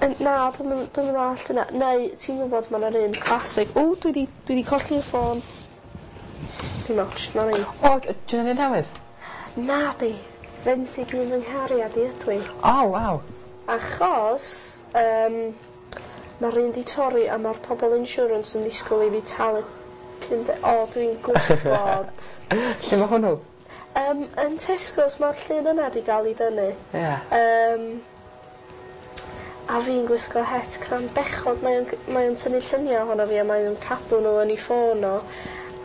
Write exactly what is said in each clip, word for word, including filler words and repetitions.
Yn- Na, dwi'm yn dwi'm yn ddallt hynna. Neu ti'n gwybod ma' 'na'r un classic, "O, dwi 'di dwi 'di colli'r ffôn." Dim otsh, 'na ni. O, ti'n un newydd? Na di. Fenthyg un fy nghariad i ydw i. O, waw. Achos yym ma'r un 'di torri a ma'r pobol insurance yn disgwyl i fi talu pum de- o, dwi'n gwybod. Lle ma' hwnnw? Yym yn Tesco's ma'r llun yna 'di ga'l 'i dynnu. Ie. Yym a fi'n gwisgo het crand bechod mae o'n g- mae o'n tynnu llunia' ohono fi a mae o'n cadw n'w yn 'i ffôn o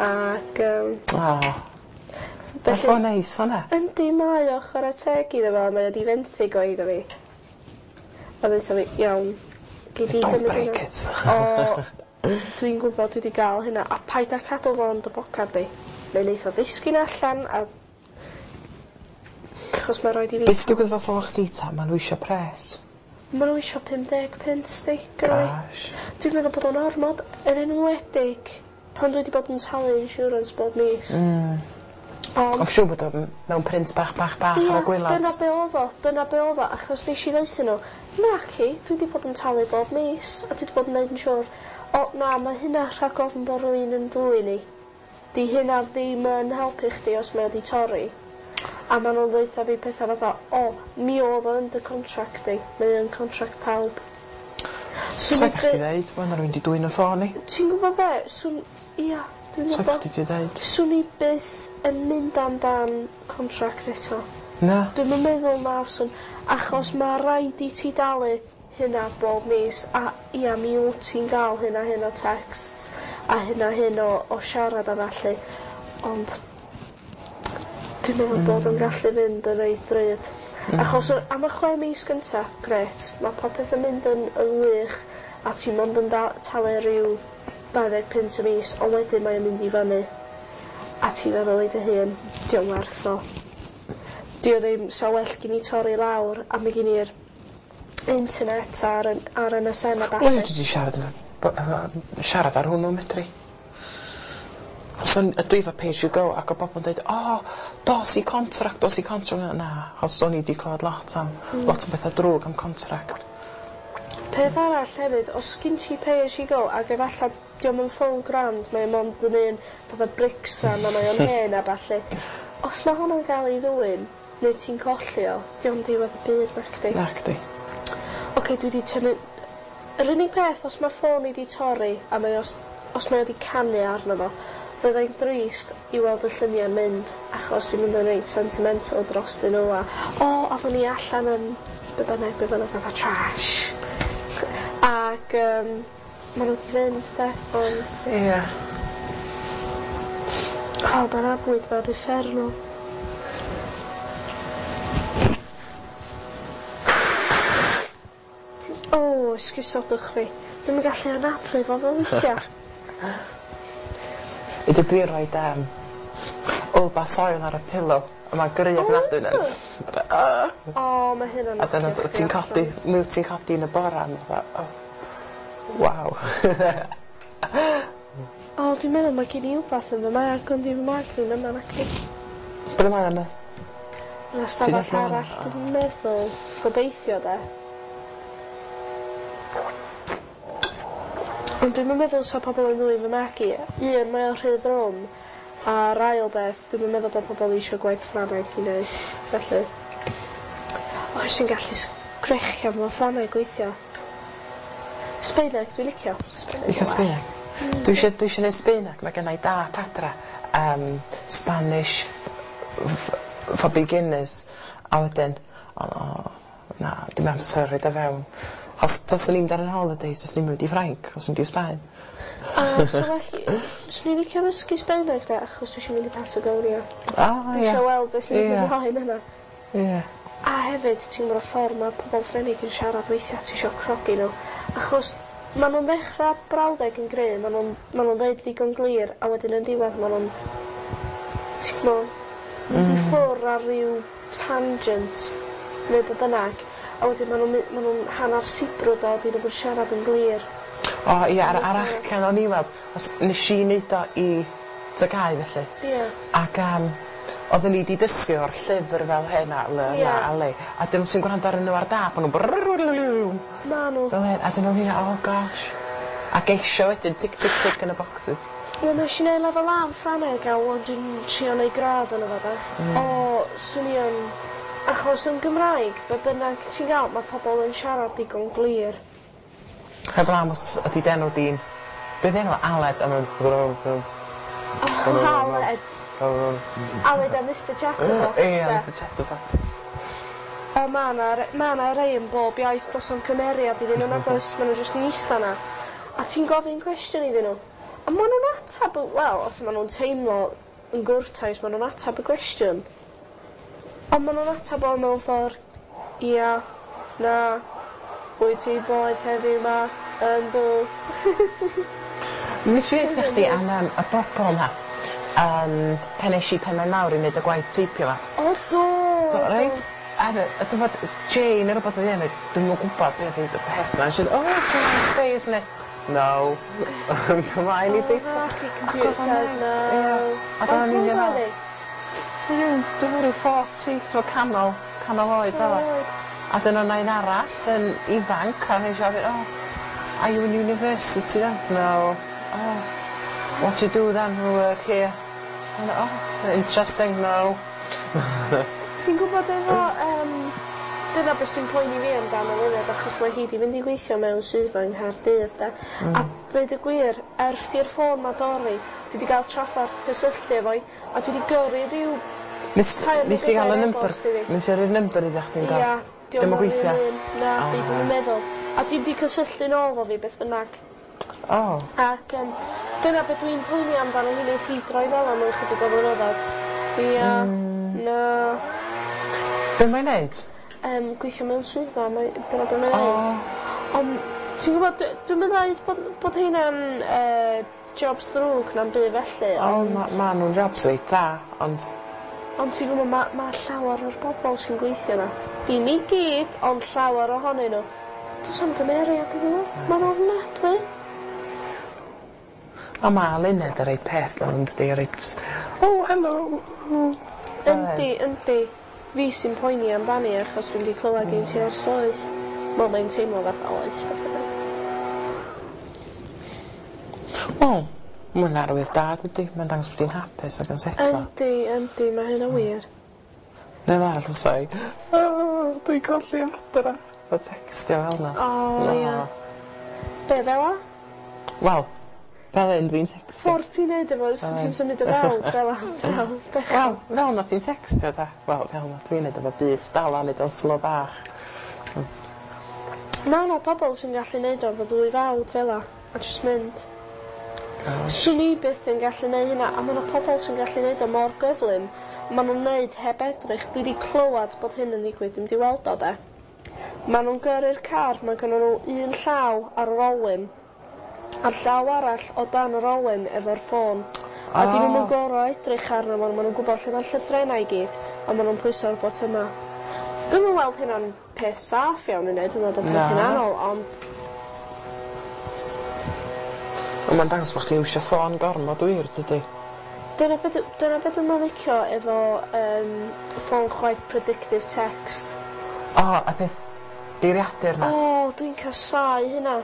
ac yym O. Ma'n ffôn neis hwnna. Yndi mae o, chware teg iddo fo, mae o 'di fenthyg o iddo fi. A ddeutha fi, "Iawn, gei di Don't gymryd break hwnna." it. O, dwi'n gwybod dwi 'di ga'l hynna, a paid â cadw fo yn dy bocad di. Neu neith o ddisgyn allan a achos ma' raid i fi... Be' sy digwydd efo ffôn chdi ta? Ma' n'w isio pres. Ma' n'w isio pum deg punt 'sti gynna fi. Gosh. Dwi'n meddwl bod o'n ormod, yn enwedig pan dwi 'di bod yn talu insurance bob mis. Mm. Ond Ond siŵr bod o m- mewn print bach bach bach ar y gwilod. Dyna be' odd o, dyna be' odd o, achos nesh i ddeutho n'w, "Naci, dwi 'di bod yn talu bob mis a dwi 'di bod yn neud yn siŵr." "O na, ma' hynna rhag ofn bo' rywun yn dwyn i. 'Di hynna ddim yn helpu chdi os mae o 'di torri." A ma' nw'n ddeutha fi petha fatha, "O, mi o'dd o yn dy contract di, mae o'n contract pawb." Swn i'n chdi ddeud ma' 'na rywun 'di dwyn 'yn ffôn i. Ti'n gwbo be', swn ia, dwi'n Sa gwbo. chdi 'di ddeud. Swn i byth yn mynd amdan contract eto. Na. Dwi'm yn meddwl na fyswn, achos ma' raid i ti dalu hynna bob mis a ia mi wt ti'n ga'l hyn a hyn o texts a hyn a hyn o o siarad a ballu ond dwi'n meddwl bod o'n gallu fynd yn reit ddrud. Achos o- am y chwe mis gynta, grêt, ma' popeth yn mynd yn yn wych a ti mond yn da- talu ryw dau ddeg punt y mis, ond wedyn mae o'n mynd i fyny a ti'n feddwl i dy hun, 'di o'm werth o. 'Di o ddim, sa well gin i torri lawr a mi gin i'r internet ar 'yn ar M S N a Wel, ballu. dwi 'di siarad efo bo- efo siarad ar hwnnw medri. Os o'n dwi efo pay as you go ac o bobl yn deud, "O, dos i contract, dos i contract." Na, na, achos o'n i 'di clywed lot am Mm. lot o betha drwg am contract. Peth arall hefyd, os gin ti pay as you go ag efalla dio'm yn ffôn grand, mae o mond yn un fatha bricsan a mae o'n hen a ballu. Os ma' hwnna'n ga'l ei ddwyn, neu ti'n colli o, dio'm diwedd y byd nacdi. Nacdi. Oce, dwi 'di tynnu... Yr unig peth, os ma' ffôn i 'di torri a mae o s- os mae o 'di canu arno fo, fyddai'n drist i weld y lluniau'n mynd, achos dwi'n mynd yn reit sentimental drostyn nhw a o, oedden ni allan yn be bynnag, be bynnag, fatha trash. Ac yym ma' nhw 'di fynd de, ond... Ie. O, ma'r abwyd ma'n uffernol. O, esgusodwch fi. Dwi'm yn gallu anadlu fo fo weithia'. Ydy dwi roid yym Olbas oil ar y pillow a ma'n gry ofnadwy nawr. O, ma' hynna'n A dyna knocio chdi ti'n codi, allan. mi wyt ti'n codi yn y bora a fatha, o, waw. O, dwi'n meddwl mae gen i wbath yn fy mag, ond di fy mag ddim yma nacdi. Ble mae yna? Yn y stafell Ti'n allan? arall, dwi'n meddwl. Gobeithio de. Ond dwi'm yn meddwl sa pobl yn ddwyn fy mag i. Un, mae o rhy ddrwm, a'r ail beth, dwi'm yn meddwl bod pobl eisiau gwaith Ffrangeg i neud, felly. Oes ti'n gallu sgrechian efo Ffrangeg weithio. Sbaeneg, dwi'n licio. Sbaeneg Licio yn well. Sbaeneg? Dwi isio dwi isio neud Sbaeneg, mae gennai dap adra, um, Spanish f- f- for beginners, a wedyn, o, o na, dim amser rhoid o fewn. Os taswn i'n mynd ar 'yn holidays, os i'n mynd i Ffrainc, os i'n mynd i Sbaen. A so felly, swn i'n licio ddysgu Sbaeneg de, achos dwi isio mynd i Patagonia. O, Dwi ie. isio weld beth sy'n mynd Ie. ymlaen yna. Ie. A hefyd, ti'n gwybod y ffordd mae pobl Ffrenig yn siarad weithiau, ti isio crogi nhw. Achos ma' nhw'n ddechrau brawddeg yn gry, ma' nhw'n ma' nhw'n ddeud ddigon glir, a wedyn yn diwedd ma' nhw'n, ti'n gwbod, mynd i ffwrdd ar ryw tangent, neu be bynnag, a wedyn ma' nhw'n my- ma' nhw'n hanner sibrwd o, dyn nhw'n siarad yn glir. O ie, ar ar acen o'n i weld, os nes i neud o i T G A U felly. Ie. Ac um, oedden ni 'di dysgu o'r llyfr fel hyn a ly Ie. la a le. A dyn nhw sy'n gwrando arnyn nhw ar dap, o'n nhw'n brrrr. Ma' ma nhw. Fel hyn, a dyn nhw'n hynna, oh gosh. A geisio wedyn, tick, tick, tick yn y boxes. Wel, nes i neud lefel A yn Ffrangeg a wan dwi'n trio neud gradd yn y fo de. Mm. O, swn i yn. Achos yn Gymraeg, be bynnag ti'n gael, mae pobl yn siarad digon glir. Heblaw os ydi d'enw di'n... Be 'di enw Aled a ma'n. Oh, Aled. Aled a Mister Chatterbox, Ie, de. Mister Chatterbox. O, ma' 'na ma' 'na rei yn bob iaith, does 'na'm cymeriad iddyn nhw nag oes, ma' nhw jyst yn ista 'na. A ti'n gofyn cwestiwn iddyn nhw, a ma' nhw'n atab, wel, os ma' nhw'n teimlo yn gwrtais, ma' nhw'n atab y gwestiwn. Ond ma' nhw'n atab o mewn ffordd, ia, na, wyt ti boeth heddiw 'ma, yndw. Nes i ddeutha chdi am yym y bobol 'ma yym pan esh i Penmaenmawr i neud y gwaith teipio 'ma. O do! Do, reit? A dy- a dwi 'bod Jane ne' rwbath oedd 'i enw dwi'm yn gwbod beth oedd y peth 'ma. She said, "Oh it's a nice day, isn't it?" No. Ymlaen i deipio. Oh, computer says no. Ie. Ac Faint o'n i'n oed meddwl oedd hi? Dwi'n dwi'n ryw forty, t'mo' canol canol oed fel 'a. A dyna o' 'na un arall yn ifanc a nesh i ofyn, "Oh, are you in university then?" "No." "Oh, what do you do then for work here?" "Oh, interesting, no." Ti'n gwybod efo yym dyna beth sy'n poeni fi amdano Luned, achos mae hi 'di mynd i gweithio mewn swyddfa yng Nghaerdydd de. Mm. A dweud y gwir, ers i'r ffôn 'ma dorri, dwi 'di ga'l traffarth cysylltu efo 'i a dwi 'di gyrru ryw Nes tair neu nes i ga'l y bedair number e-bost iddi. nes i roi'r number iddo chdi yndo? Ia, Dio'm yn gweithio? Na, O. di dwi'm yn meddwl. A dim 'di cysylltu nôl efo fi beth bynnag. O. Ac yym dyna be dwi'n poeni amdano hi neith hi droi fel 'a mewn chydig o flynyddoedd. Ia. Mm. Na. Be' mae'n neud? Yym gweithio mewn swyddfa mae dyna be' mae'n O. neud. Ond ti'n gwbod dwi dwi'm yn ddeud bod bod heina'n yy jobs drwg na'm byd felly O ond ma' ma' nw'n jobs reit dda ond Ond ti'n gwbod ma' ma' llawer o'r bobol sy'n gweithio 'na, dim i gyd ond llawer ohonyn nhw, do's 'am gymeriad iddyn nhw. Ma'n ofnadwy. On' ma' Luned y reit peth though yndydi reit "Oh hello." Yndi yndi. Fi sy'n poeni amdani achos dwi wedi clywed gen ti ers oes. Wel mae'n teimlo fatha oes beth bynnag. Wel, ma' wnna arwydd da dydi? Ma'n dangos bod 'i'n hapus ac yn setlo. Yndi yndi ma' hynna wir. Neb arall yn say "O dwi'n colli adra." A tecstio fel 'na. O ia. Be' fel 'a? Wel, fel 'yn dwi'n tecstio. Ffordd ti'n neud efo sut ti'n symud dy frawd fel 'a fel bechod. Wel, fel 'na ti'n tecstio 'de? Wel, fel 'na dwi'n neud efo bys dal a neud o'n slo bach. Ma' 'na pobol sy'n gallu neud o efo ddwy fawd fel 'a a jyst mynd. Gosh. Swn i byth yn gallu neu' hynna a ma' 'na pobol sy'n gallu neud o mor gyflym. Ma' nw'n neud heb edrych. Dwi 'di clywad bod hyn yn ddigwydd dwi'm 'di weld o 'de. Ma' nw'n gyrru'r car ma' gynnon n'w un llaw ar yr olwyn a'r llaw arall o dan yr olwyn efo'r ffôn. A 'dyn nw'm yn O. gor'o' edrych arno fo ma' nw'n gwbod lle ma'r llythrennau i gyd a ma' nw'n pwyso'r botyma. Dwi'm yn weld hynna'n peth saff iawn i neud dwi'n meddwl peth Na. hunanol ond On' ma'n dangos bo' chdi iwsio ffôn gormod wir dydi? Dyna be' dw- dyna be' dwi'm yn licio efo yym ffôn chwaith predictive text. O a peth geiriadur 'na. O dwi'n casáu hynna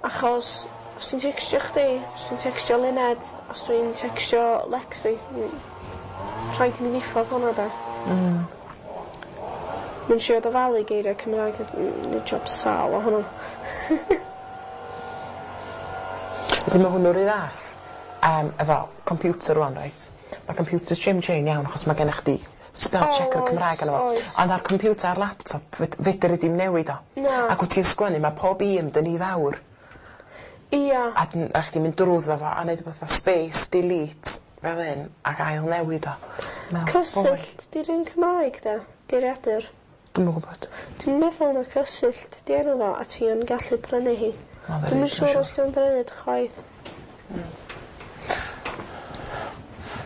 achos os dwi'n tecstio chdi, os dwi'n tecstio Luned, os dwi'n tecstio Lexi m- rhaid i mi ddiffodd hwnna 'de? Mm. Mae'n trio dyfalu geiria Cymraeg a mm neud job sâl o hwnnw. Wedyn ma' hwnnw 'run fath yym efo computer rŵan reit? Ma' computer Jim Jane iawn achos ma' gennych chdi spell O checker oes, Cymraeg arno fo. oes. Ond ar computer ar laptop fed- fedri di'm newid o. Na. Ac wt ti'n sgwennu ma' pob un 'dyn ni fawr. Ia. A dyn a chdi mynd drwddo fo a neud rwbath fatha space delete fel 'yn ag ail newid o. Mewn Cysyllt 'di'r un Cymraeg 'de? Geiriadur. Dwi'm yn gwbod. Dwi'n meddwl na Cysyllt 'di enw fo a ti yn gallu prynu hi. Ma'n Dwi'm yn ddrud, siŵr os 'di o'n ddrud chwaith.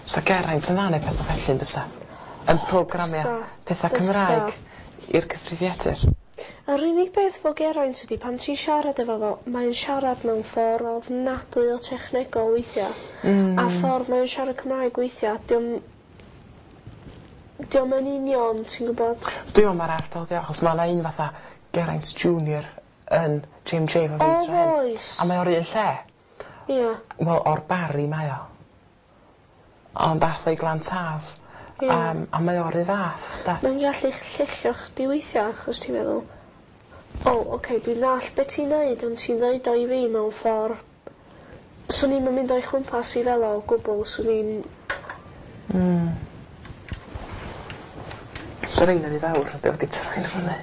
Sa Geraint yn dda neud petha felly yn bysa? Yn programio Bysa. petha Bysa. Cymraeg i'r cyfrifiadur. Yr unig beth 'fo Geraint ydi pan ti'n siarad efo fo mae'n siarad mewn ffor ofnadwy o technegol weithia'. Mm. A ffordd mae'n siarad Cymraeg weithia' 'di o'm 'di o'm yn union ti'n gwbod? Dwi me'wl ma'r ardal 'di o achos ma' 'na un fatha Geraint Junior yn J M J efo fi O, tro hyn. oes. A mae o'r un lle. Ia. Wel, o'r Barri mae o. Ond ath o i Glan Taf. Ie. Um, a mae o'r un fath, da. Mae'n gallu lluchio chdi weithia achos ti'n meddwl, o, oce, okay, dwi'n nall be ti'n neud, ond ti'n ddeud o i fi mewn ffordd. Swn i'm yn mynd o'i chwmpas i fel o o gwbl, swn i'n. Mm. So rhein yn i fawr, dwi wedi troi nhw fyny.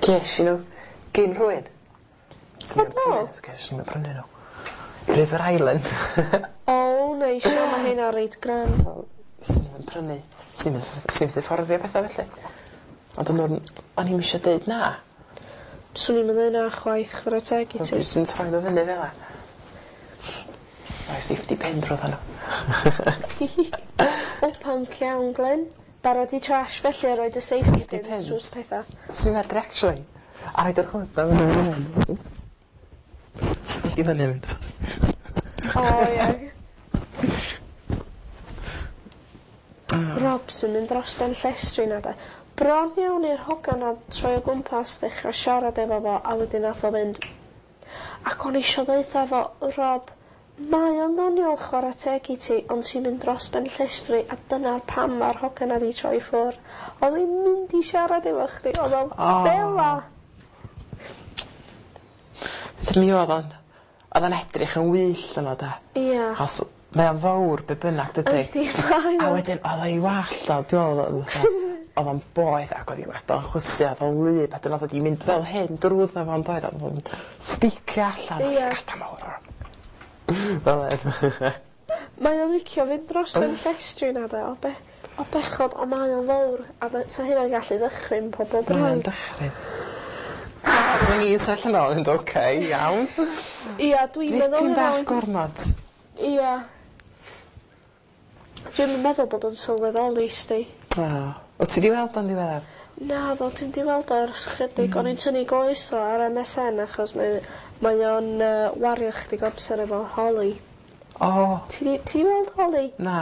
Ges i nhw gyn rhywun. O, do? Ges i nhw prynu nhw. River Island. O, neis, o, mae hynna reit grand. So, swn i'm yn prynu. Swn i'm yn fforddio pethau felly. Ond o'n nhw'n... O'n i'm eisiau deud na. Swn i'm yn ddeud na chwaith, chwarae teg i Ond ti. dwi jyst yn troi nhw fyny fel 'a. Mae safety pin drwyddo nhw. O, punk iawn, Glyn. Barod i trash felly a roid y safety Safety pins pins. drwy'r pethau. Swn i'n medru actually. A roid yr hood na fyny. Di fyny mynd. O, ie. Rob sy'n mynd dros ben llestri na de. Bron iawn i'r hogan a troi o gwmpas ddechrau siarad efo fo a wedyn nath o fynd. Ac o'n i isio ddeutha fo, "Rob, mae o'n ddoniol, chwarae teg i ti, ond ti'n mynd dros ben llestri a dyna'r pam mae'r hogan na di troi ffwr." Oedd hi'n mynd i siarad efo chdi, oedd o O. fel 'a. Mi oedd o'n... Oedd o'n edrych yn wyllt yno da. Ia. Achos mae o'n fawr be bynnag dydy. Yndi, mae A o. wedyn oedd o'i wallt o, dwi'n meddwl oedd o fatha- oedd o'n boeth ac oedd 'i wallt o'n chwysu a oedd o'n wlyb a dyna oedd o 'di mynd fel hyn drwyddo fo'n doedd a oedd o'n sticio allan a Ie. llygada mawr. Fel hyn. Mae o'n licio fynd dros ben llestri na de, o, be, o bechod, o mae o'n fawr, a ma- sa hynna'n gallu ddychryn pobl Mae o'n braidd. dychryn. Swn i'n sefyll yno yn mynd, oce, iawn. Ia, dwi'n meddwl Dipyn hynna bach wedyn. gormod. Ia. Dwi'm yn meddwl bod o'n sylweddoli, sti. O. O, ti di weld o'n ddiweddar? Na, ddo, dwi'm di weld o ers chydig. O'n i'n tynnu goes o ar M S N achos mae, mae o'n uh, wario chydig amser efo Holly. O, Ti di, ti di weld Holly? Na.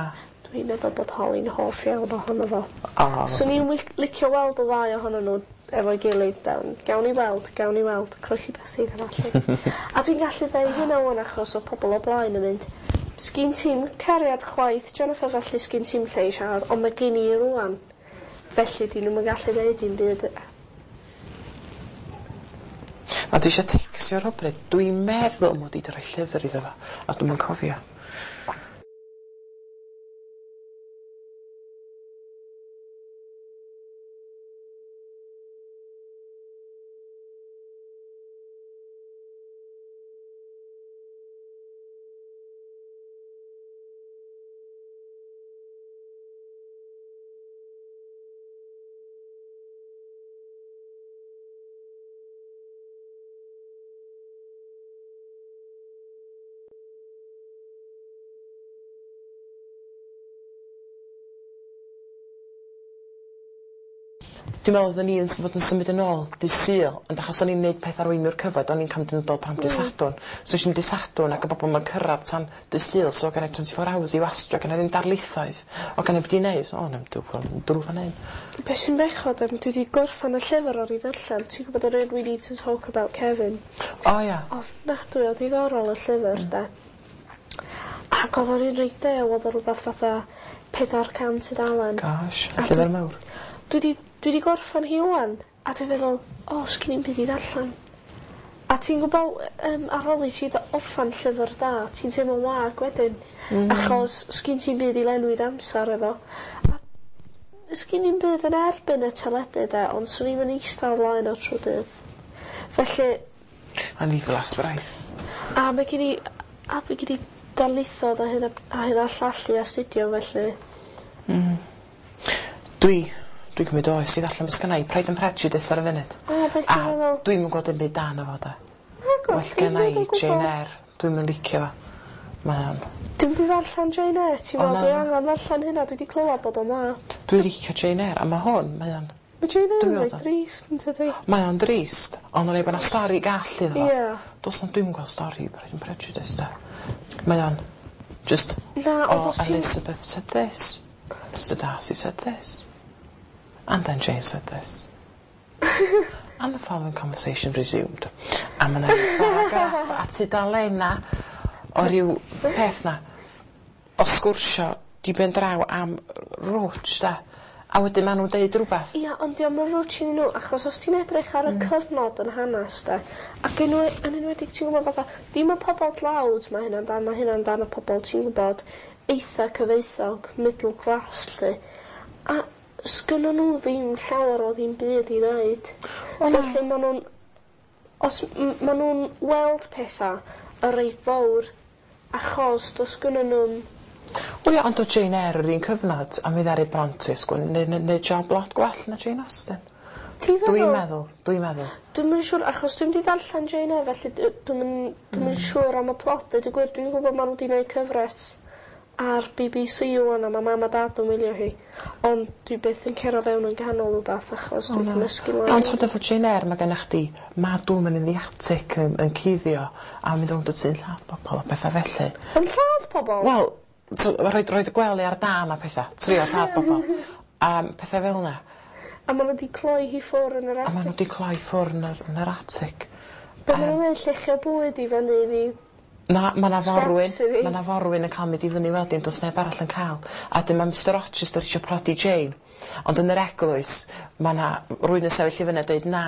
Dwi'n meddwl bod Holly'n hoff iawn ohono fo. O. Swn i'n wic- licio weld y ddau ohonyn nhw efo'i gilydd down. Gawn ni weld, gawn ni weld. Croesi bysedd a falle. A dwi'n gallu ddeud hynna wan achos o pobl o blaen yn mynd, "Sgin ti'm cariad chwaith, Jennifer, felly sgin ti'm lle i siarad," ond mae gen i rwan. Felly dyn nhw'n gallu ddeud dim byd. A dwi eisiau textio rhywbryd. Dwi'n meddwl mod i 'di rhoi llyfr iddo fo, a dwi'm yn cofio. Dwi'n meddwl oedden ni yn fod yn symud yn ôl dydd Sul, ond achos o'n i'n neud peth arweinwyr cyfod, o'n i'n cam dyn pam dydd Sadwrn. So eisiau dydd Sadwrn ac y bobl ma'n cyrraedd tan dydd Sul, so gen i twenty-four hours i wastio, gen i ddim darlithoedd. O gen i beth i neud, o, na, drw fan hyn. Be sy'n bechod am dwi wedi gorffan y llyfr o'r i ddarllen. Ti'n gwybod yr un We Need to Talk About Kevin? O ia. Ofnadwy o diddorol y llyfr, de. Ac oedd o'n un reit dew, oedd o rhywbeth fatha pedwar cant tudalen. Gosh, A llyfr dwi- mawr. Dwi 'di dwi 'di gorffan hi ŵan, a dwi'n meddwl, o, sgin i'm byd i ddarllen. A ti'n gwybod, um, ar ôl i ti dd- orffan llyfr da, ti'n teimlo'n wag wedyn. Mm. Achos sgin ti'm byd i lenwi'r amser efo. A sgin i'm byd yn erbyn y teledu, de, ond swn i'm yn eistedd o flaen o trwy dydd. Felly, A'n ddiflas braidd. a mae gen i, a mae gen i darlithoedd a hyn a, a hyn a llall i astudio, felly. Dwi, dwi'n cymryd oes i ddarllen beth sgynna i Pride and Prejudice ar y funud. O, beth A ti'n meddwl? dwi'm yn gweld dim byd da na fo, de. Nagw, Well genna i Jane Eyre. Dwi'm yn licio fo. Mae o'n... Dwi'n mynd i ddarllen Jane Eyre, ti'n O, meddwl, na. dwi angen ddarllen hynna, dwi wedi clywed bod o'n dda. Dwi'n licio Jane Eyre, a mae hwn, mae o'n... Mae Jane Eyre Dwi'n yn meddwl reit o. drist, yn tydi? Mae o'n drist, ond o'n ei bod 'na stori gall iddo fo. Ie. Does na, dwi'm yn gweld stori Pride and Prejudice, de. Mae o'n just, Na, ond oh, os ti'n Elizabeth said this. Mister Darcy said this. And then Jane said this. And the following conversation resumed. A ma' 'na paragraff a tudalena o ryw peth 'na o sgwrsio di ben draw am rwtsh 'de? A wedyn ma' nw'n deud rwbath. Ia ond 'di o'm yn rwtsh iddyn n'w achos os ti'n edrych ar y Mm. cyfnod yn hanas 'de ac enwe- yn enwedig ti'n gwbod fatha dim y pobol dlawd ma' hynna amdan ma' hynna amdan y pobol ti'n gwbod eitha cyfoethog middle class 'lly a sgynnon n'w ddim llawer o ddim byd i neud. Wel na. Felly ma' nw'n os m- ma' nw'n weld petha y reit fowr achos do's gynnyn nw'm Wel ia ond o'dd Jane Eyre yr un cyfnod a mi ddaru Bronte sgwennu neu' neu' neud job lot gwell na Jane Austen. Ti'n feddwl? Dwi'n meddwl dwi'n meddwl. Dwi'm yn siŵr achos dwi'm 'di darllen Jane Eyre felly d- dwi'm yn dwi'm yn siŵr am y plot deud y gwir dwi'n gwbod ma' n'w 'di neud cyfres ar Bee Bee See ŵan a ma' mam a dad yn wylio hi ond dwi byth yn cero fewn yn ganol wbath achos dwi'n cymysgu lawr. Ond t'od efo Jane Eyre ma' gennych chdi mad woman in the attic yn yn cuddio a mynd rownd y tŷ yn lladd bobol a petha felly. Yn lladd pobol? Wel t'o' ma' rhoid roid y gwely ar dân a petha. Trio lladd bobol. A petha fel 'na. A ma' n'w 'di cloi hi ffwr' yn yr A ma' atig. n'w 'di cloi ffwr' yn yr yn yr atig. Be' ma' nw'n neud lluchio bwyd i fyny iddi? Na ma' 'na forwyn Scraps iddi? ma' 'na forwyn yn ca'l mynd i fyny wedyn do's neb arall yn ca'l. A 'dyn ma' Mr Rochester isio prodi Jane ond yn yr eglwys ma' 'na rywun yn sefyll i fyny a deud na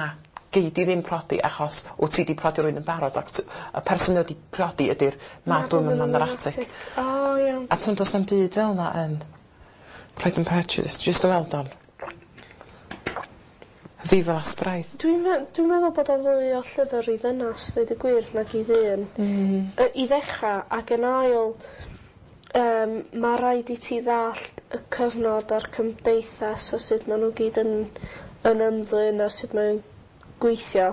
gei di ddim prodi achos wt ti 'di prodi rywun yn barod ac t- y person wedi prodi ydi'r mad woman yn yr atig. O iawn. A t'mod do's na'm byd fel 'na yn Pride and Prejudice jyst yn weld o'n ddiflas braidd. Dwi'n me- dwi'n meddwl bod o fwy o llyfr i ddynas ddeud y gwir nag i ddyn. Mm. Yy i ddechra ac yn ail yym ma' raid i ti ddallt y cyfnod a'r cymdeithas o sut ma' n'w gyd yn yn ymddwyn a sut mae'n gweithio.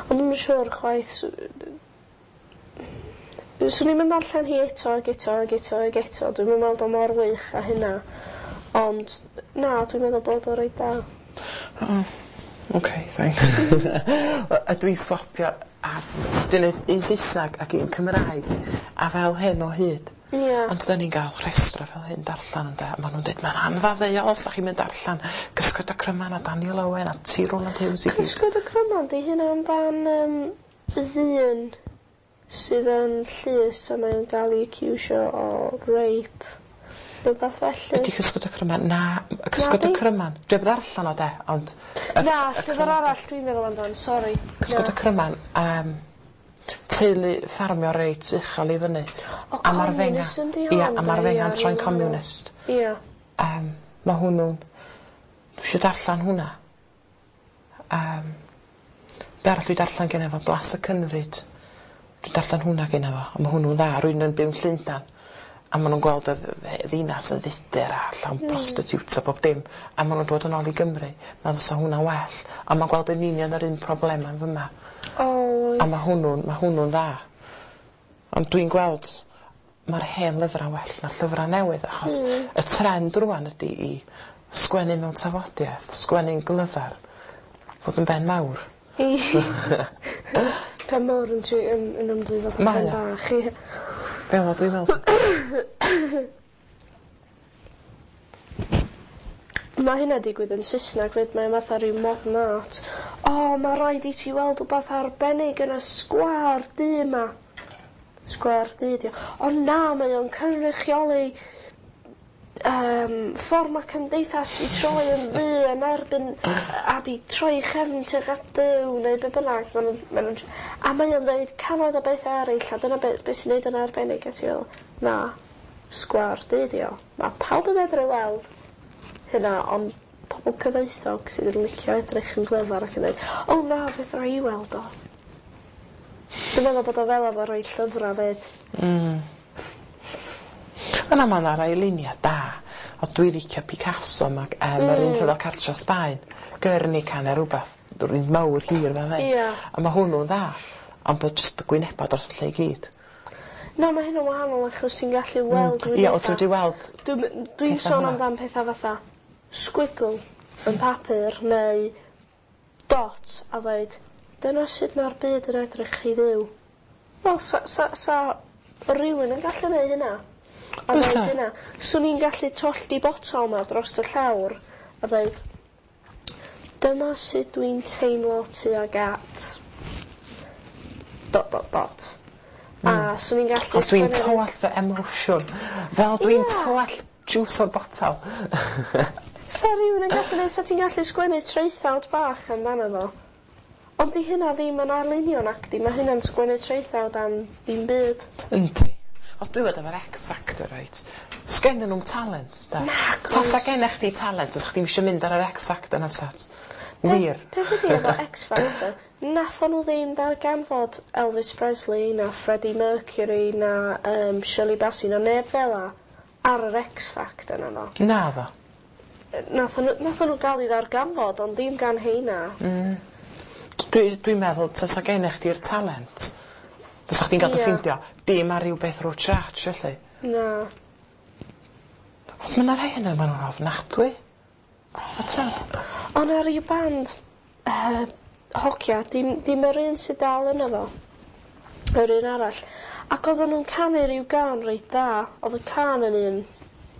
Ond dwi'm yn siŵr chwaith s- yy swn i'm yn darllen hi eto ag eto ag eto ag eto dwi'm yn meddwl o mor wych â hynna ond na dwi'n meddwl bod o reit da. O oce fine. Ydw i'n swapio a dwi'n neud un Saesnag ac un Cymraeg a fel hyn o hyd. Ia. Ond 'dan ni'n ga'l rhestra fel hyn darllan ynde a ma' nw'n deud ma'n anfaddeuol os 'dach chi'm yn darllan Cysgod y Cryman a Daniel Owen a T Rowland Hughes i gyd. Cysgod y Cryman 'di hynna amdan yym ddyn sydd yn llys a mae o'n ga'l 'i aciwsio o rape rwbath felly. Ydi Cysgod y Cryman? Na Cysgod y Nadi? Cryman. Dwi 'eb ddarllan o 'de ond y Na y llyfr arall dwi'n meddwl amdan sori. Cysgod y Cryman yym teulu ffarmio reit uchel i fyny. O A ma'r fenga communism 'di hon ia a ma'r 'de? fenga'n Ia, troi'n dwi'n meddwl. communist. Ia. Yym ma' hwnnw'n dwi isio darllan hwnna. Yym be' arall dwi darllan gynna fo Blas y Cynfyd. Dwi'n darllan hwnna gynna fo a ma' hwnnw'n dda rywun yn byw yn Llundan a ma' nw'n gweld y dd- ddinas yn fudur a llawn Hmm. prostitutes a bob dim a ma' nw'n dod yn ôl i Gymru ma' fysa hwnna'n well a ma'n gweld yn union yr un problema yn fyma. O oes. A ma' hwnnw'n ma' hwnnw'n dda. Ond dwi'n gweld ma'r hen lyfra'n well na'r llyfra newydd achos Hmm. y trend rŵan ydi i sgwennu mewn tafodiaeth, sgwennu'n glyfar, fod yn ben mawr. Pen mawr yn tri- yn yn ymddwyn fatha Mae pen o. bach ie. Fel 'a dwi'n meddwl. Ma' hynna digwydd yn Sysnag 'fyd mae o fatha ryw modern art. O ma' raid i ti weld wbath arbennig yn y sgwâr du 'ma. Sgwâr du 'di o. O na mae o'n cynrychioli yym ffor ma' cymdeithas 'di troi yn ddu yn erbyn a 'di troi 'i chefn tuag at Duw neu be' bynnag ma' nw'n ma' nw'n tr- a mae o'n ddeud cannoedd o bethe eryll a dyna be' be' sy'n neud o'n arbennig a ti feddwl na sgwâr du 'di o. Ma' pawb yn medru weld hynna ond pobol cyfoethog sydd yn licio edrych yn glyfar ac yn dweud o na fedra i weld o. Dwi'n meddwl bod o fel efo roi llyfra 'fyd. Mm. Yna ma' 'na rai lunia da o dwi licio Picasso mag yym mm. yr un rhyfel cartra Sbaen Guernica ne' rwbath rywun mawr hir fel hyn. Ia. A ma' hwnnw'n dda ond bod jyst y gwyneba dros y lle i gyd. Na ma' hynna'n wahanol achos ti'n gallu weld Mm. Ia o ti wedi weld Dwi'n dwi'n petha sôn hwnna. amdan petha fatha squiggle yn papur neu dot a ddeud dyna sut ma'r byd yn edrych i Dduw. Wel sa sa sa rywun yn gallu neud hynna. A Bysa. ddeud hynna. Swn i'n gallu tollti botal 'ma drost y llawr a ddeud Dyma sut dwi'n teimlo tuag at dot dot dot. A swn i'n gallu Os dwi'n sgwennu- tywallt fy emosiwn. Fel dwi'n Ie. tywallt juice o'r botal. Sa rhywun yn gallu neud, sa ti'n gallu sgwennu traethawd bach amdano fo. Ond di hynna ddim yn arlunio nacdi, mae hynna'n sgwennu traethawd am ddim byd. Yndi. Os dwi'n gwybod efo'r X Factor, reit, sgennyn nhw'm talent, da. Nac oes. Tasa gennych chdi talent, os chdi'm isio mynd ar yr X Factor na sat. Wir. Peth ydi efo X Factor, nathon nhw ddim darganfod Elvis Presley na Freddie Mercury na um, Shirley Bassey na neb fel 'a ar yr X Factor na ddo. Na ddo. Nathon nhw, nathon nhw gael i ddarganfod, ond ddim gan heina. Mm. Dwi'n dwi meddwl, tasa gennych chdi'r talent, fysa chdi'n gael dy Ie. ffeindio, dim ar ryw beth rwtsh ratsh, felly. Na. Os mae 'na rhai yna, maen nhw'n ofnadwy. A ta? Ond ar ryw band uh, hogia, dim, dim yr un sydd dal yna fo. Yr un arall. Ac oedden nhw'n canu rhyw gân reit dda. Oedd y cân yn un,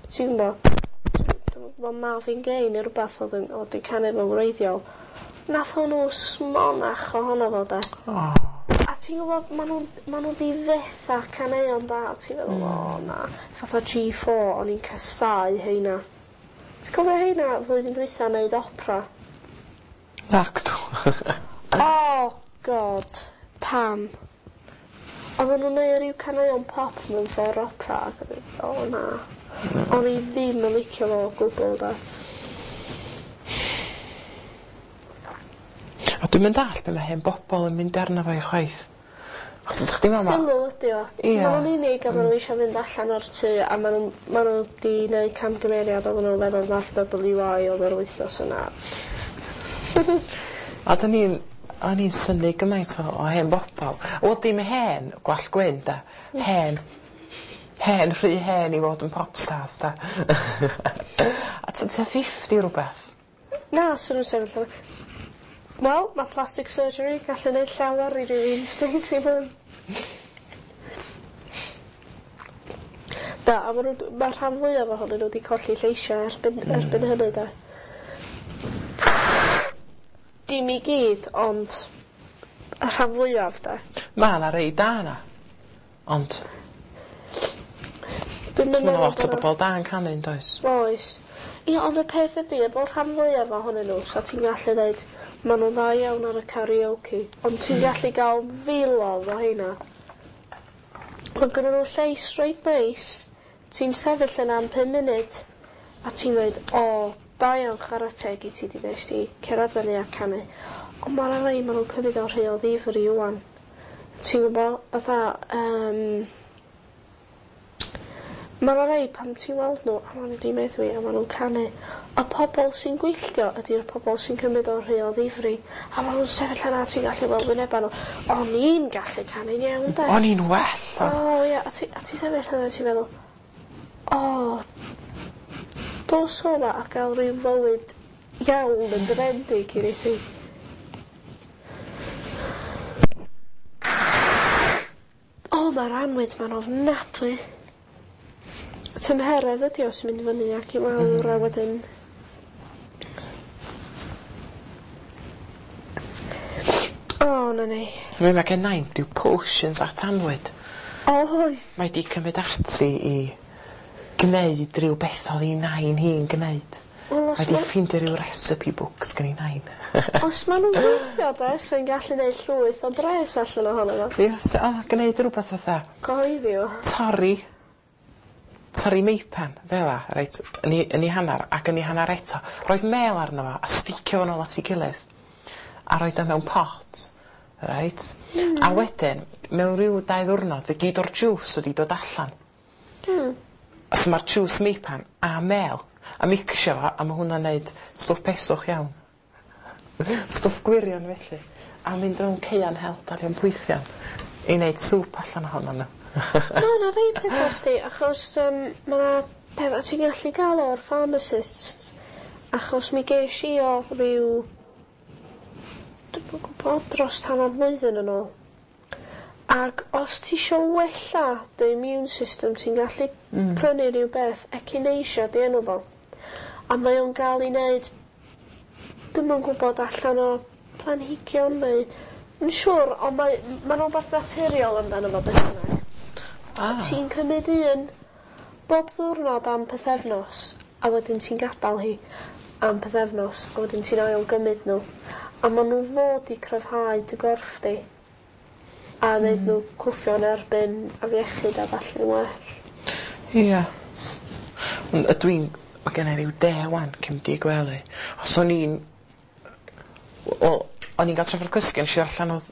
ti'n gwybod, dwi'n gwybod Marvin Gaye neu rhywbeth oedd yn, oedd yn canu fo'n wreiddiol. Nath nhw smonach ohono fo de. Oh. A ti'n gwybod, maen nhw'n ma nhw 'di fetha caneuon da, a ti'n meddwl, o na. Fatha G four, o'n i'n casáu heina. Ti'n cofio heina flwyddyn dwytha neud opera? Nac dw. Oh god, pam? Oedden nhw'n neud rhyw caneuon pop mewn ffordd opera, ac o'n i, o na. O'n i ddim yn licio fo o gwbl da. A dwi'n mynd all be mae hen bobl yn mynd arno fo i chwaith. Os ydych chdi'n meddwl... Sylw ydi o. Ie. Ma' nhw'n unig a ma' nhw eisiau mynd allan o'r tŷ a ma' nhw ma' nhw 'di neud camgymeriad oedden nhw'n feddwl na'r W I oedd yr wythnos yna. A dyn ni'n... O'n i'n synnu gymaint o, o hen bobl. Wel, dim hen, gwallt gwyn, da. Hen. Hen, rhy hen i fod yn pop stars, da. A t- tua fifty rhywbeth. Na, swn nhw'n sefyll yna. Wel, mae plastic surgery yn gallu neud llawer i rywun sdi ti'n mynd. Na, a ma' nhw, mae'r rhan fwyaf ohonyn nhw wedi colli lleisiau erbyn, mm. erbyn hynny da. Dim i gyd, ond y rhan fwyaf da. Ma' 'na rei da 'na. Ond Dwi'm yn ma' 'na meddwl lot o bo' 'na- bobl da yn canu yn does? Oes. Ie, ond y peth ydi, efo'r rhan fwyaf ohonyn nhw, sa ti'n gallu dweud, ma' nhw'n dda iawn ar y karaoke, ond ti'n gallu gael filodd o heina. Mae gynnon nhw llais reit neis, ti'n sefyll yna am pum munud, a ti'n dweud, o, da iawn chwarae teg i ti di nes ti cerdded fyny a canu. Ond ma' 'na rei ma' nhw'n cymryd o rhy o ddifri ŵan. Ti'n gwybod, fatha, yym... Ma' 'na rei pan ti'n weld nhw a ma' nhw 'di meddwi a ma' nhw'n canu. Y pobol sy'n gwylltio ydi'r pobol sy'n cymryd o rhy o ddifri. A ma' nhw'n sefyll yna a ti'n gallu weld wyneba nhw. O'n i'n gallu canu'n iawn de. O'n i'n well. O ie, a ti a ti sefyll yna a ti'n meddwl, o, dos o 'ma a gael rhyw fywyd iawn yn dy ben di cyn i ti. O, ma'r anwyd ma'n ofnadwy. Tymheredd ydi o sy'n mynd i fyny ac i lawr a wedyn O, na ni. Mi mae gen nain rhyw potions at annwyd. Oes. Mae 'di cymryd ati i gneud rhyw beth oedd 'i nain hi'n gneud. Wel, os Mae 'di ma- ffeindio rhyw recipe books gen 'i nain. Os ma' nhw'n gweithio de, sy'n gallu neud llwyth o bres allan ohono fo. Ie, so, o, gneud rhywbeth fatha Cyhoeddi o. torri torri meipan fel 'a, reit, yn 'i yn 'i hannar ac yn 'i hannar eto. Roid mêl arno fo a sticio fo nôl at 'i gilydd. A roid o mewn pot, reit? Mm. A wedyn, mewn ryw dau ddiwrnod, fe gyd o'r juice wedi dod allan. Mm. So ma'r juice meipan a mel, a mixio fo, a ma' hwnna'n neud stwff peswch iawn. Stwff gwirion felly. A mynd rownd caea'n hel dalion pwythion i neud sŵp allan ohono nhw. Ma' 'na rei petha sti, achos yym ma' 'na petha ti'n gallu gael o'r pharmacists, achos mi gesh i o ryw, dwi'm yn gwbod, dros hanner blwyddyn yn ôl. Ac os ti isio wella dy immune system, ti'n gallu Mm. prynu rhyw beth, echinacea 'di enw fo. A mae o'n gael ei neud Dwi'm yn gwbod allan o planhigion neu yn siŵr ond mae ma'n rwbath naturiol amdano fo beth bynnag. Ah. Ti'n cymyd un bob ddiwrnod am pythefnos a wedyn ti'n gadal hi am pythefnos a wedyn ti'n ail gymyd n'w a ma' n'w fod i cryfhau dy gorff di. A neud n'w cwffio yn erbyn afiechyd a ballu'n well. Ia. Ond ydw i'n... Ma' genna i ryw de ŵan cyn mynd i gwely. Os o'n i'n wel o'n i'n ga'l trafferth cysgu nesh i allan o'dd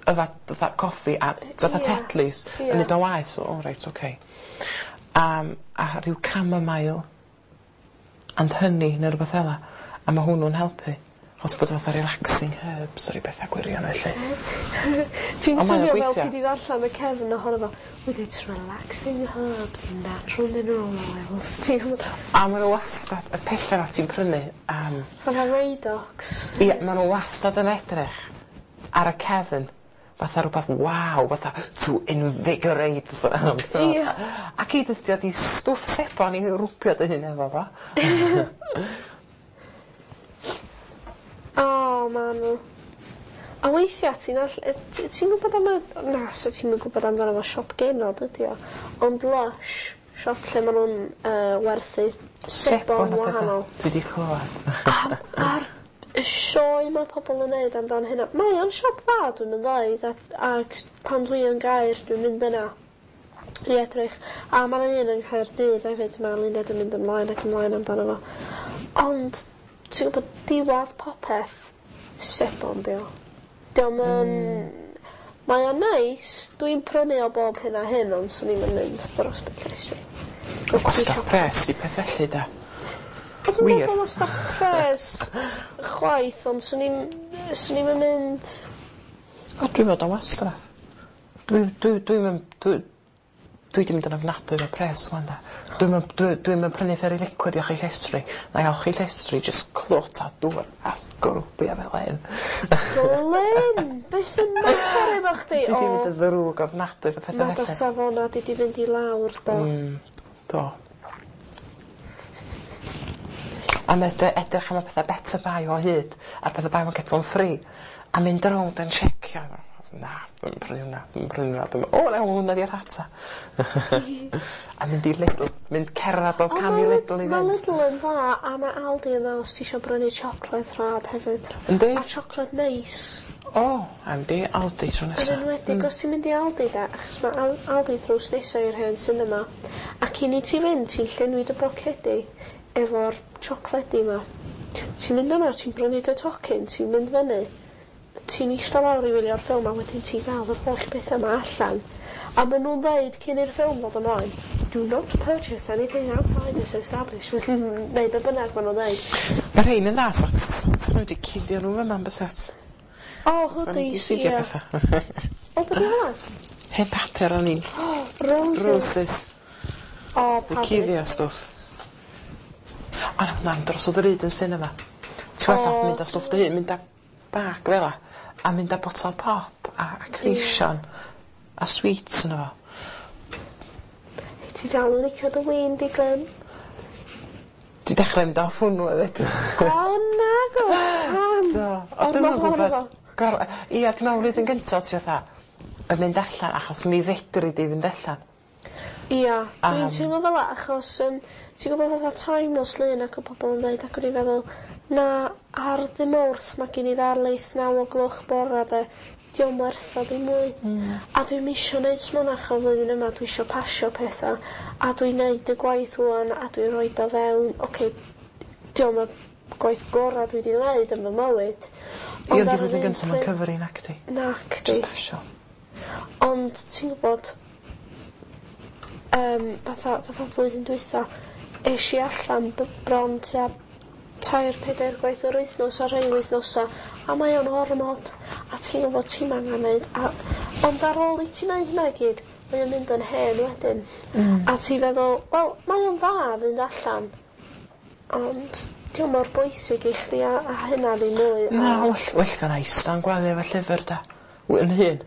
yfad fatha coffi a fatha Ia. Tetlys Ia. yn neud o'n waeth so o reit oce. Yym a rhyw chamomile and honey ne' rwbath fel 'a a ma' hwnnw'n helpu. Achos bod o fatha relaxing herbs a ryw betha gwirion felly. Ti'n Ond mae o'n swnio fel gweithio. ti 'di ddarllan y cefn ohono fo. With its relaxing herbs and natural mineral oils. Ti'n gwbod? A ma' n'w wastad y pella 'na ti'n prynu am Fatha Radox. Ia ma' n'w wastad yn edrych ar y cefn fatha rwbath waw fatha to invigorate so Ia. Ac i dydi o 'di stwff sebon i rwbio dy hun efo fo. O ma' n'w. A weithia' ti'n all- yy t- ti'n gwbod am y na so ti'm yn gwbod amdano fo siop genod ydi o ond Lush siop lle ma' nw'n yy werthu sebon a petha. wahanol. Dwi 'di clywad. A a'r y sioe ma' pobol yn neud amdan hynna. Mae o'n siop dda dwi'm yn ddeud ac ag pan dwi yn Gaer dwi'n mynd yna i edrych a ma' 'na un yn Caerdydd hefyd ma' Luned yn mynd ymlaen ac ymlaen amdano fo. Ond ti'n gwbod diwadd popeth sebon 'di o. 'Di o'm yn... Mae o'n neis dwi'n prynu o bob hyn a hyn ond swn i'm yn mynd dros ben llestri. Gwastraff pres i peth felly 'de? O dwi'm yn Wir. meddwl wastraff pres chwaith ond swn i'm swn i'm yn mynd O dwi'n meddwl wastraff. Dwi dwi dwi'm yn dwi dwi 'di mynd yn ofnadwy efo pres ŵan 'de. Dwi'm yn dwi dwi'm yn prynu Fairy Liquid i olchi llestri. Nai olchi llestri jyst clwt a dŵr a sgrwbio fel 'yn. Glyn! Be' sy'n mater efo chdi? Dwi 'di O mynd yn ddrwg ofnadwy efo petha Ma' dy felly. safona di 'di fynd i lawr do? Mm do. A ma' dy- edrych am y petha better buy o hyd a'r petha buy one get one free a mynd rownd yn checio na dwi'm yn prynu wnna dwi'm yn prynu wnna dwi'm o na hwnna 'di'r rhata. A mynd i Lidl mynd cerddad bob O cam ma' i Lid- Lidl i ma' fynd. Lidl yn dda a ma' Aldi yn dda os ti isio brynu siocled rhad hefyd. Yndi? A siocled neis. O I'm di Aldi tro Yn nesa. enwedig os ti'n mynd i Aldi 'de achos ma' Al- Aldi drws nesa i'r hen cinema a cyn i ti fynd ti'n llenwi dy bocedi efo'r siocledi 'ma. Ti'n mynd yna ti'n brynu dy tocyn ti'n mynd fyny ti'n ista lawr i wylio'r ffilm a wedyn ti'n ga'l yr holl betha 'ma allan a ma' nw'n ddeud cyn i'r ffilm ddod ymlaen do not purchase anything outside this establishment neu be' bynnag ma' nw'n ddeud. Ma' rhein yn dda sa sa nhw wedi cuddio nw fyma yn bysat? O hoodies Cuddio ie. petha. O be' 'di hwnna? Hen papur o'n i'n. Roses. Roses. O I pawb cuddio stwff. O na hwnna'n dros o ddrud yn cinema. Ti well off O. mynd â stwff dy hun mynd â bag fel 'a a mynd â botel pop a a creision a sweets yno fo. Ti dal yn licio dy win di Glyn? Dwi dechre mynd off hwnnw efyd. O nagwt, pam? Do. O dwi'm yn Ormod ohono gwbod. fo. Gor- ia dwi me'wl flwyddyn gynta ti fatha yn mynd allan achos mi fedri di fynd allan. Ia, dwi'n Am. teimlo fel 'a achos yym ti'n gwbod fatha time nos Lun ac o pobol yn ddeud ac o'n i feddwl na ar ddy Mawrth ma' gen i ddarlith naw o gloch bora 'de 'di o'm werth o ddim mwy. Hmm. A dwi'm isio neud smonach o flwyddyn yma dwi isio pasio petha a dwi'n neud y gwaith ŵan a dwi roid o fewn oce 'di o'm y gwaith gora dwi 'di neud yn fy mywyd Ia ond ond 'di ar yr flwyddyn un gynta ma'n pryd cyfri nacdi? Nacdi. Jyst pasio. Ond ti'n gwbod yym fatha fatha flwyddyn dwytha esh i allan b- bron tua tair pedair gwaith yr wythnos ar rhai wythnosa a mae o'n ormod a ti'n gwbod ti'm angan neud a ond ar ôl i ti neud hynna i gyd mae o'n mynd yn hen wedyn. Mm. A ti feddwl wel mae o'n dda fynd allan ond 'di o'm mor bwysig i chdi a a hynna ddim mwy a... Na well well gynna ista'n gwely efo llyfr 'de? W- yn hŷn.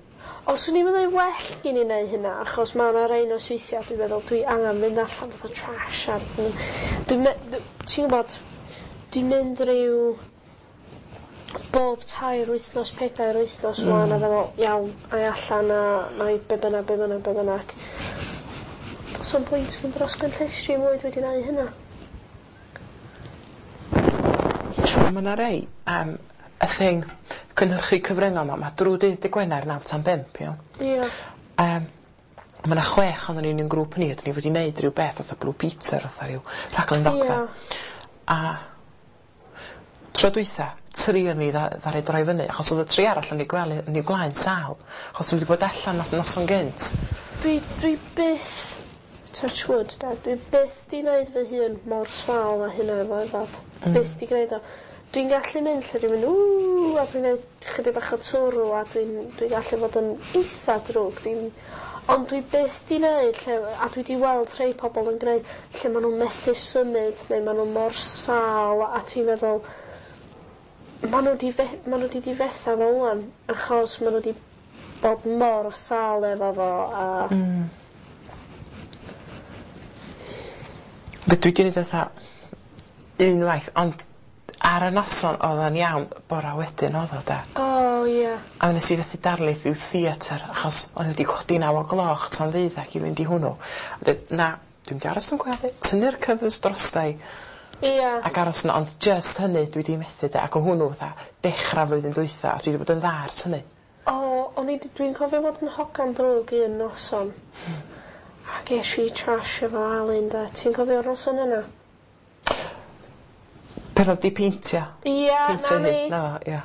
O swn i'm yn ddeu well gin i neu' hynna achos ma' 'na rei nosweithia dwi'n meddwl dwi angan mynd allan fatha trash a dwi'n dwi'n me- dw- ti'n gwbod dwi'n mynd ryw bob tair wythnos, pedair wythnos mm. ŵan a feddwl iawn, ai allan a nai be bynnag, be bynnag, be bynnag. Do's na'm pwynt fynd dros ben llestri mwy dwi 'di neu' hynna. Ma' 'na rei yym y thing cynhyrchu cyfryngau 'ma ma' drw dydd dy' Gwener naw tan bump iawn? Ia. Yym ma' 'na chwech onon ni yn 'yn grŵp ni a 'dyn ni fod i neud rhyw beth fatha Blue Peter fatha ryw rhaglen ddogfen. Ia. A tro dwytha tri o'n ni dda- ddaru droi fyny achos o'dd y tri arall yn eu gwely yn eu gwlâu yn sâl achos n'w 'di bod allan nos noson gynt. Dwi dwi byth touch wood 'de dwi byth 'di neud fy hun mor sâl â hynna efo yfad. Mm. Byth 'di gneud o. Dwi'n gallu mynd lle dwi'n mynd ww a dwi'n neud chydig bach o twrw a dwi'n dwi gallu fod yn eitha drwg dwi'n ond dwi byth 'di neud lle a dwi 'di weld rhei pobol yn gneud lle ma' nw'n methu symud neu ma' n'w mor sâl a ti'n meddwl ma' n'w 'di fe- ma' n'w 'di difetha fo ŵan achos ma' n'w 'di bod mor sâl efo fo a... Hmm. Be' dwi 'di neud fatha unwaith ond ar y noson odd o'n iawn bora wedyn odd o 'de? O ie. A nes i fethu darlith i'w theatr achos o'n i wedi codi naw o gloch tan ddeuddag i fynd i hwnnw. A deud na dwi'n mynd i aros yn gwely tynnu'r covers drostai. Ia. Ac aros 'na ond jyst hynny dwi 'di methu 'de ac o' hwnnw fatha dechra flwyddyn dwytha a dwi 'di bod yn dda ers hynny. O o'n i 'di dwi'n cofio fod yn hogan drwg un noson. A gesh i trash efo Alun 'de. Ti'n cofio'r noson yna? Pan odd 'di peintio. Ia Peintio 'na hi. ni. 'Na fo ia.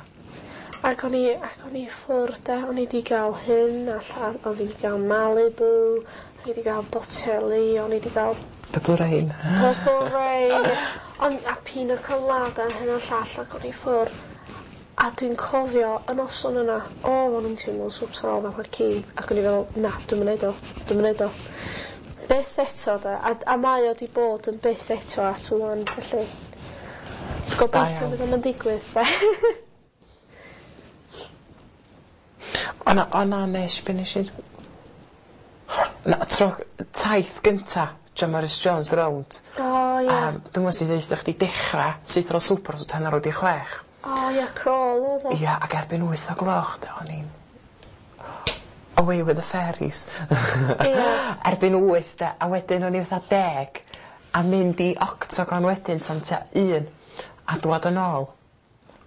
Ac o'n i ac o'n i ffwr' 'de o'n i 'di ga'l hyn a lla- o'n i 'di ga'l Malibu o'n i 'di ga'l boteli o'n i 'di ga'l Purple Rain. Purple Rain on' a pina colada hyn a llall ac o'n i ffwr'. A dwi'n cofio y noson yna o o'n i'n teimlo so sâl fatha ci ac o'n i feddwl na dwi'm yn neud o dwi'm yn neud o. Byth eto 'de a a mae o 'di bod yn byth eto at ŵan felly gobeithio fydd o'm yn digwydd 'de? O na o na nesh be' nesh i? Na tro taith gynta John Morris Jones rownd. O ie. Yym dwi'm yn si ddeutha chdi dechra syth ar ôl swper so tan ar ôl 'di chwech. O ia crawl odd o. Ia ag erbyn wyth o gloch 'de o'n i'n away with the fairies. Ia. Erbyn wyth 'de a wedyn o'n i fatha deg a mynd i Octogon wedyn tan tua un a dwad yn ôl.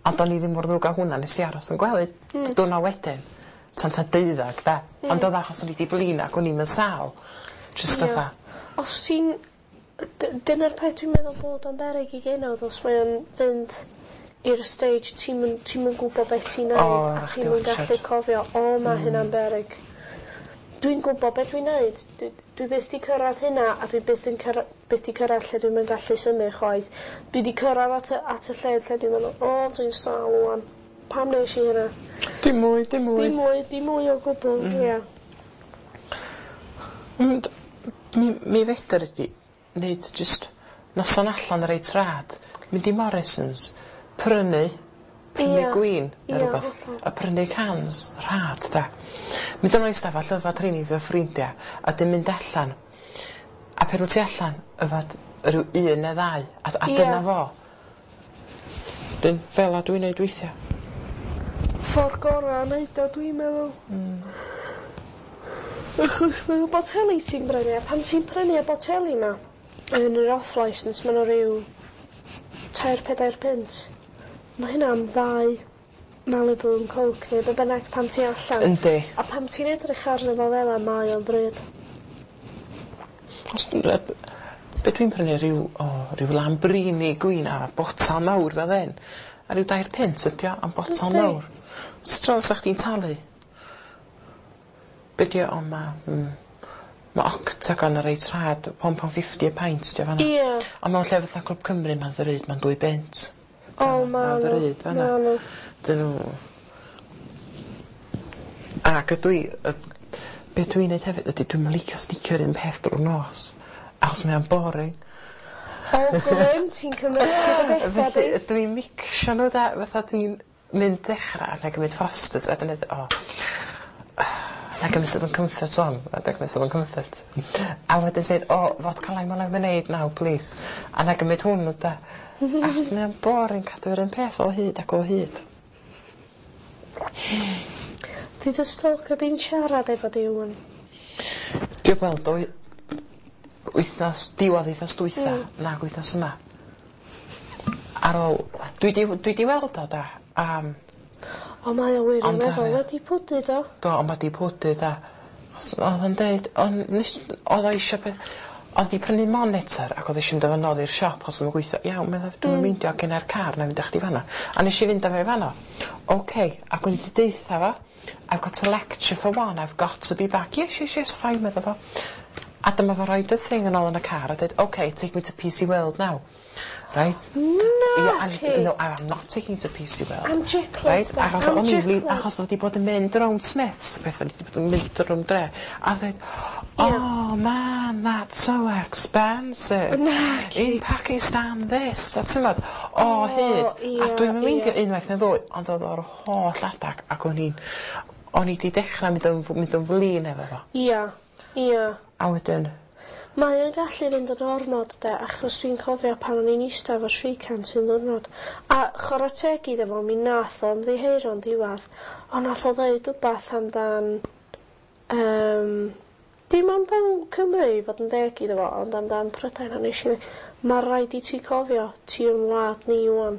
Ond o'n i ddim mor ddrwg â hwnna nes i aros yn gwely. Hmm. Diwrno wedyn tan tua deuddag 'de? Hmm. Ond odd achos o'n i 'di blino ac o'n i'm yn sâl. Jyst Ia. fatha Os ti'n d- dyna'r peth dwi'n meddwl bod o'n beryg i genod os mae o'n fynd i'r stage ti'm yn ti'm yn gwbo beth ti'n neud O a rhaid chdi ti'm yn watsiad. gallu cofio o ma' Hmm. hynna'n beryg. Dwi'n gwbo be' dwi'n neud dwi dwi byth 'di cyrradd hynna a dwi byth yn cyrra- byth 'di cyrradd lle dwi'm yn gallu symud chwaith. Dwi 'di cyrradd at y at y lle lle dwi'n meddwl o dwi'n sâl ŵan. Pam nesh i hynna? Dim mwy dim mwy. Dim mwy dim mwy o gwbwl. Hmm. Ia. Ond mi mi fedr di neud jyst noson allan reit rhad mynd i Morrisons prynu prynu Ia. gwin ne' Ia, rwbath hollol. a prynu cans rhad 'de? Mynd yn ôl i stafell yfad rheini efo ffrindia a 'dyn mynd allan a pen wt ti allan yfad ryw un ne' ddau a a Ia. dyna fo. 'Dyn fel 'a dwi'n neud weithia. Ffor gora o neud o dwi'n meddwl. Hmm. Achos ma' boteli ti'n brynu a pan ti'n prynu y boteli 'ma yn yr off licence ma' n'w ryw tair pedair punt. Ma' hynna am ddau Malibu and Coke neu be' bynnag pan ti allan. Yndi. A pan ti'n edrych arno fo fel 'a mae o'n ddrud. Os dwi yy be' dwi'n prynu ryw o ryw Lambrini gwin a botal mawr fel 'yn a ryw dair punt ydi o am botal Yndi. mawr. So t'o' sa chdi'n talu? Be' 'di o o ma' mm ma' Octagon yn reit rhad one pound fifty a pint 'di o fan 'na. Ie. On' mewn lle fatha Clwb Cymru ma'n ddrud ma'n dwy bunt. O ma' Ma'n n'w. ddrud fan 'na. Ma' n'w. 'Dyn nw. Ac ydw i yy be' dwi'n neud hefyd ydi dwi'm yn licio sticio'r un peth drw'r nos achos mae o'n boring. O grym ti'n cymysgu dy betha Felly di. dwi'n micsio n'w 'de fatha dwi'n mynd ddechra a 'nai gymryd Fosters a 'dyn neud o 'nai gymryd Southern Comfort ŵan a 'nai gymryd Southern Comfort. A wedyn sud o fodca lime a lemonade now plîs a 'nai gymryd hwn 'de? Achos mae o'n boring cadw yr un peth o hyd ac o hyd. Di dy stalker di'n siarad efo di ŵan? Dwi weld o wythnos diwadd wythnos dwytha... Mm. ...nag wythnos yma. Ar ôl dwi 'di dwi 'di weld o 'de yym O mae o wirioneddol wedi pwdu do? Do on' ma' 'di pwdu 'de. Os o'dd o'n deud on' nes o'dd o eisio peth o'dd 'di prynu monitor ac o'dd o isio mynd â fo nôl i'r siop achos o'dd o'm yn gweithio. Iawn medda fi dwi'm yn Mm. meindio gennai'r car 'nai fynd â chdi fan 'no. A nesh i fynd â fo i fan 'no. Oce ac o'n i 'di deutha fo I've got a lecture for one I've got to be back. Yes yes yes fine medda fo. A dyma fo roid y thing yn ôl yn y car a deud ok take me to P C World now. Reit? Naci. Yeah, no I'm not taking you to P C World. Am chiclets Reit? de, Achos am o'n i'n flin chiclets. achos o'dd 'di bod yn mynd rownd Smiths a petha 'di bod yn mynd rownd dre a ddeud Ie. oh man that's so expensive. Naci. In Pakistan this a t'mod o O, hyd. ie, A dwi'm yn meindio ie. unwaith neu ddwy ond o'dd o'r holl adag ac o'n i'n o'n i 'di dechra mynd yn f- mynd yn flin efo fo. Ia, ia. A wedyn Mae o'n gallu fynd yn ormod de achos dwi'n cofio pan o'n i'n ista efo Shrikant un ddiwrnod a chwara teg iddo fo mi nath o ymddiheuro'n diwadd ond nath o ddeud wbath amdan yym dim amdan Cymru i fod yn deg iddo fo ond amdan Prydain a nesh i ddeu' ma' raid i ti cofio ti yn wlad ni ŵan.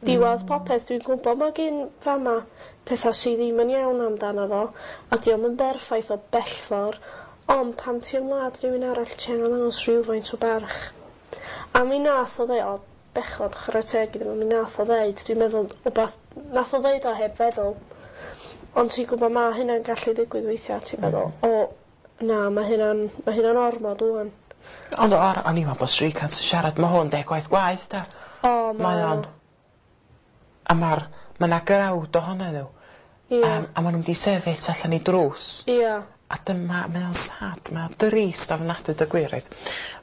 Diwadd popeth dwi'n gwbo ma' gin fama petha sy ddim yn iawn amdano fo a 'di o'm yn berffaith o bellfor ond pan ti yn wlad rhywun arall ti angen ddangos rhywfaint o barch. A mi nath o ddeu o bechod chware teg iddo fo mi nath o ddeud dwi'n meddwl wbath nath o ddeud o heb feddwl. Ond ti'n gwbo ma' hynna'n gallu digwydd weithia' ti'n meddwl o na ma' hynna'n ma' hynna'n ormod ŵan. Ond o- o'n i'n me'wl bo' Shrikant yn siarad ma' hwn deg gwaith gwaeth 'de? O Mae o'n a ma'r ma' 'na grawd ohonyn n'w. Ie. Yym a ma' nw'n mynd i sefyll allan i drws. Ia. A dyma mae o'n sad mae o'n drist ofnadwy deu gwir reit.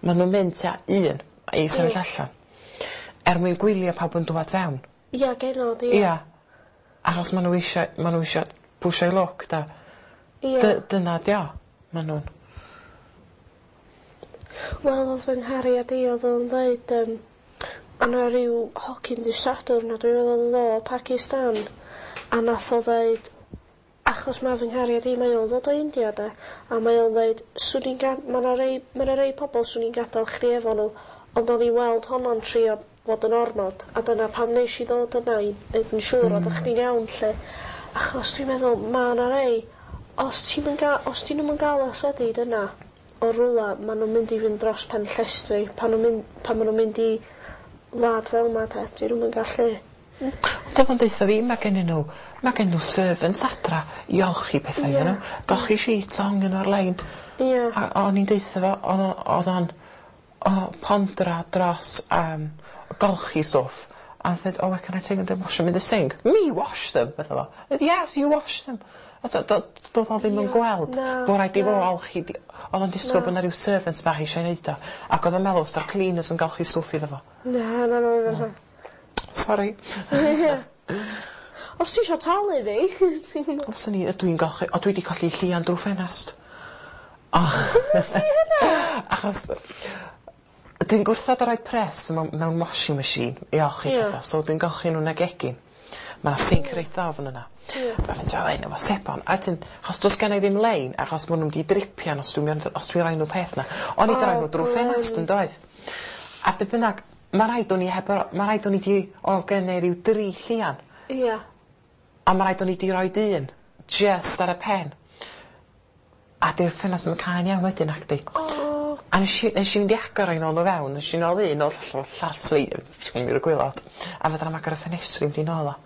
Ma' nw'n mynd tua un i sefyll Ie. allan. Er mwyn gwylio pawb yn dŵad fewn. Ia genod ia. Ia. Achos ma' n'w isio ma' n'w isio pwshio'u lwc 'de? Ia. Dy- dyna 'di o. Ma' nw'n Wel o'dd fy nghariad i o'dd o'n ddeud yym o' 'na ryw hogyn dy' Sadwrn a dwi'n meddwl o'dd o o Pakistan a nath o ddeud achos ma' fy nghariad i mae o'n ddod o India 'de a mae o'n ddeud swn i'n ga- ma' 'na rei ma' 'na rei pobol swn i'n gadal chdi efo n'w ond o'n i weld honno'n trio fod yn ormod a dyna pam nesh i ddod yna i neud yn siŵr oeddach chdi'n iawn 'lly. Achos dwi'n meddwl ma' 'na rei os ti'm yn ga- os 'di nw'm yn ga'l y rhyddid yna o rwla ma' nw'n mynd i fynd dros pen llestri pan nw'n mynd pan ma' nw'n mynd i wlad fel 'ma 'de 'dyn nw'm yn gallu Ond o'dd o'n deutha fi ma' gennyn n'w ma' gennyn n'w servants adra i olchi petha iddyn n'w. Golchi sheets a hongian n'w ar lein. Ia. A o'n i'n deutha fo o'dd o o'dd o'n o pondra dros yym golchi stwff a nath o ddeud oh where can I take them to wash them in the sink? Me wash them? Medda fo. Yes you wash them. A t'o' do- do'dd o ddim yn Ia, gweld na, bo' raid i fo na. olchi di- o'dd o'n disgwl Na. bo' 'na ryw servant bach eisiau neud o ac o'dd o'n meddwl sa'r cleaners yn golchi stwff iddo fo. Na na na na na. Sori. Os ti isio talu fi ti'n O swn i yy dwi'n golchi o dwi 'di colli llian drw ffenast. O. Sut nes di hynna? Achos dwi'n gwrthod a roi pres mewn mewn washing machine i olchi Ie. petha so dwi'n golchi n'w yn y gegin. Ma' sinc reit ddofn yna. Ie. A fynd fel 'yn efo sebon a wedyn achos do's gennai ddim lein achos ma' nw'n mynd i dripian os dwi'n mynd os dwi roi n'w peth 'na. O'n i 'di roi n'w drw ffenast yndoedd? A be' bynnag ma' raid o'n i heb o ma' raid o'n i 'di o gennai ryw dri llian. Ia. A ma' raid o'n i 'di roid un jyst ar y pen. A 'di'r ffenast 'im yn cau'n iawn wedyn nacdi? O. A nesh i nesh i fynd i agor o i nôl o fewn nesh i nôl un o'r llall llall sleif i'r gwilod a fedrai'm agor y ffenestri mynd i nôl o.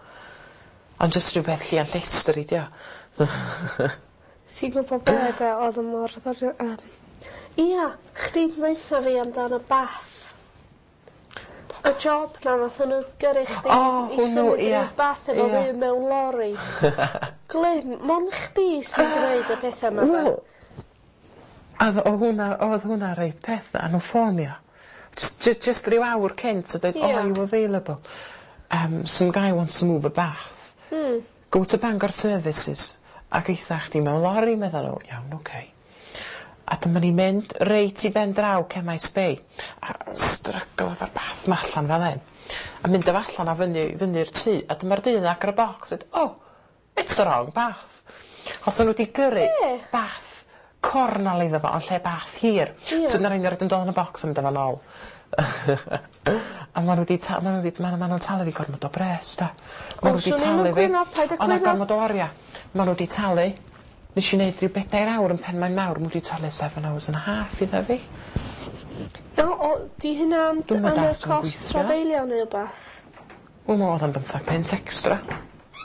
Ond jyst rhywbeth llian llestri 'di o. Ti'n gwbo be' 'de o'dd yn mor ddoniol yym ia chdi ddaetha fi amdan y bath. Y job 'na nathon n'w gyrru chdi O i hwnnw symud ia. ryw bath efo Ia. fi mewn lori. Glyn, mond chdi sy'n gneud y petha 'ma 'de? Wel o'dd o' hwnna o'dd hwnna reit peth a nhw'n ffonio. Js jy jyst ryw awr cynt a deud Ia. oh are you available? Um some guy wants to move a bath. Hmm. Go to Bangor Services ac eitha chdi mewn lori medda n'w. Iawn oce. A dyma ni'n mynd reit i ben draw Cemaes Bay a stryglo efo'r bath 'ma allan fel 'yn. A mynd â fo allan a fyny fyny'r tŷ a dyma'r dyn agor y bocs deud oh It's the wrong bath. Os o'n nhw wedi gyrru Be? Bath cornal iddo fo, yn lle bath hir. Ie. So na'r un yn dod yn y bocs yn mynd efo nôl. A ma' nhw 'di ta- ma' nhw 'di ma' nhw'n talu fi gormod o bres da. Ma' nhw 'di swn i'm talu yn fi. cwyno, paid â O' 'na cwyno. gormod o oria. Ma' nhw 'di talu. Nesh i neud ryw bedair awr yn Penmaenmawr, ma' nhw 'di talu seven hours and a half iddo fi. No, o, di hynna am, Dwi'm yn am y dallt sut ma'n cost gweithio. trafeilio neu wbath? Wel, oedd o'n bymthag punt extra.